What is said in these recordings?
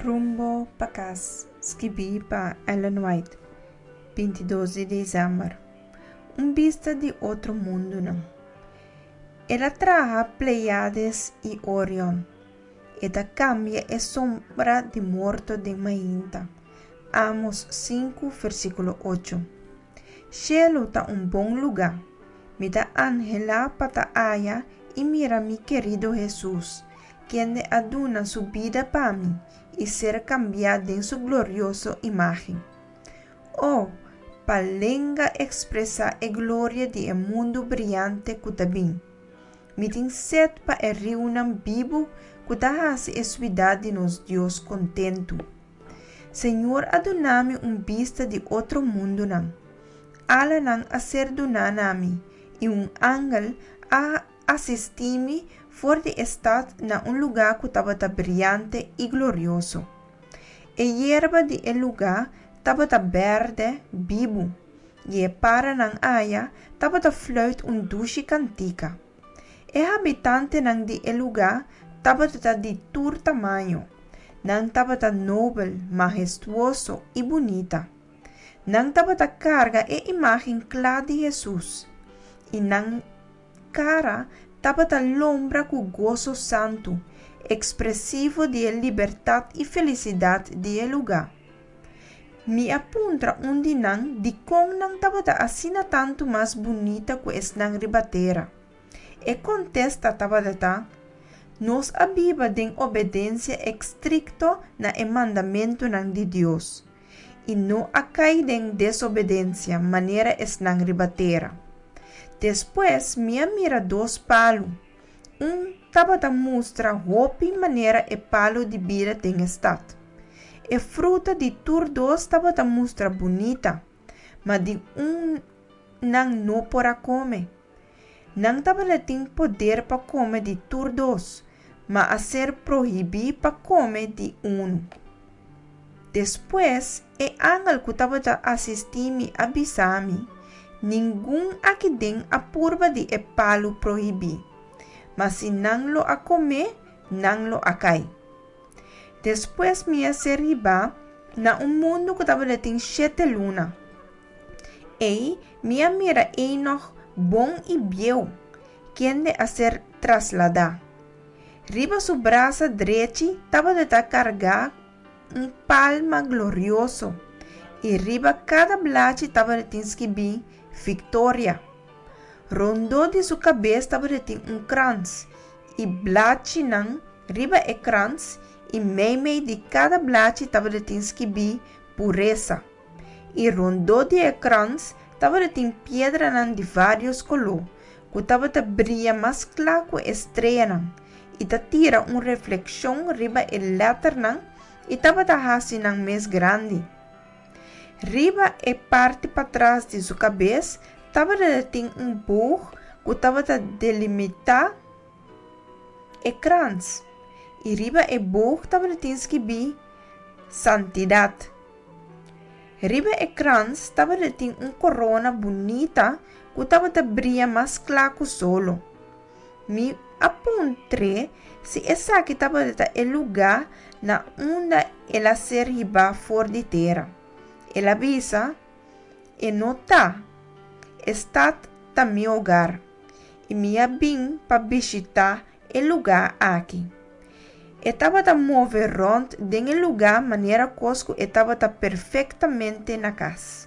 Rumbo pa kas, skibí pa Ellen White, 22 di desèmber. Un bista di otro mundunan. El a traha Pleiades i Orion. E ta kambia e sombra di morto den mainta. Amos 5, versíkulo 8. Shelu ta un bon lugá. Mi ta anhelá pa ta aya i mira mi kerido Hesus, kende a duna su bida pa mi i ser kambiá den su glorioso imágen. O, pa lenga ekspresá e gloria di e mundu briante ku ta bin! Mi tin set pa e riunan bibu ku ta hasi e suidat di nos Dios kontentu. Señor a duna mi un bista di otro mundunan. Alanan a ser duná na mi, i un angel a asistí mi for di e stat na un lugá ku tabata briante i glorioso. E yerba di e lugá tabata bèrdè bibu, i e paranan aya tabata fluit un dushi kantika. E habitantenan di e lugá tabata di tur tamaño. Nan tabata nobel, mahestuoso i bunita. Nan tabata karga e imágen kla di Hesus, i nan kara tabata lombra ku goso santu, ekspresivo di e libertat i felisidat di e lugá. Mi a puntra un di nan dikon nan tabata asina tantu mas bunita ku esnan riba tera. E kontesta tabata ta, Nos a biba den obedensia estrikto na e mandamentunan di Dios, i no a kai den desobedensia manera esnan riba tera. Despues mi a mira dos palu. Un tabata mustra hopi manera e palu di bida den e stat. E fruta di tur dos tabata mustra bunita, ma di un nan no por a kome. Nan tabatin poder pa kome di tur dos, ma a ser prohibí pa kome di unu. Despues, e angel ku tabata asistí mi a bisa mi, Ningun aki den a purba di e palu prohibí, ma si nan lo a kome, nan lo a kai. Despues mi a ser hibá na un mundu ku tabatin shete luna. Ei mi a mira Enoch bon i bieu, kende a ser trasladá. Riba su brasa drechi tabata kargá un palma glorioso i riba kada blachi tabatin skibí Viktoria. Rondó di su kabes tabatin un krans i blachinan riba e krans i meimei di kada blachi tabatin skibí Puresa. I rondó di e krans tabatin piedranan di vários koló ku tabata bria mas kla ku e streanan i ta tira un reflekshon riba e lèternan i tabata hasi nan mes grandi. Riba e parti patras di su kabes tabatin un boog ku tabata delimitá e krans. I riba e boog tabatin skibí Santidat. Riba e krans tabatin un korona bunita ku tabata bria mas kla ku solo. Mi a puntr'é si esaki tabata e lugá na unda el a ser hibá for di tera. El a bisa, E no ta. E stat ta mi hogar, i mi a bin pa bishitá e lugá aki. E tabata move rònt den e lugá manera kos ku e tabata perfektamente na kas.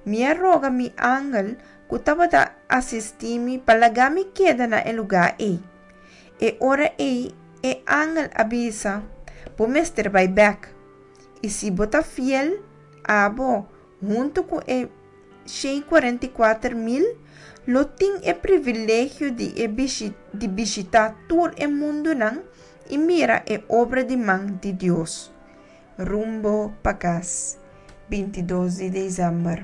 Mi a roga mi angel ku tabata asistí mi pa laga mi keda na e lugá ei. E ora ei e angel a bisa, Bo mester bai bèk. I si bo ta fiel, abo, huntu ku e 144.000, lo tin e privilegio di e di bishitá tur e mundunan i mira e obra di man di Dios. Rumbo pa kas, 22 di desèmber.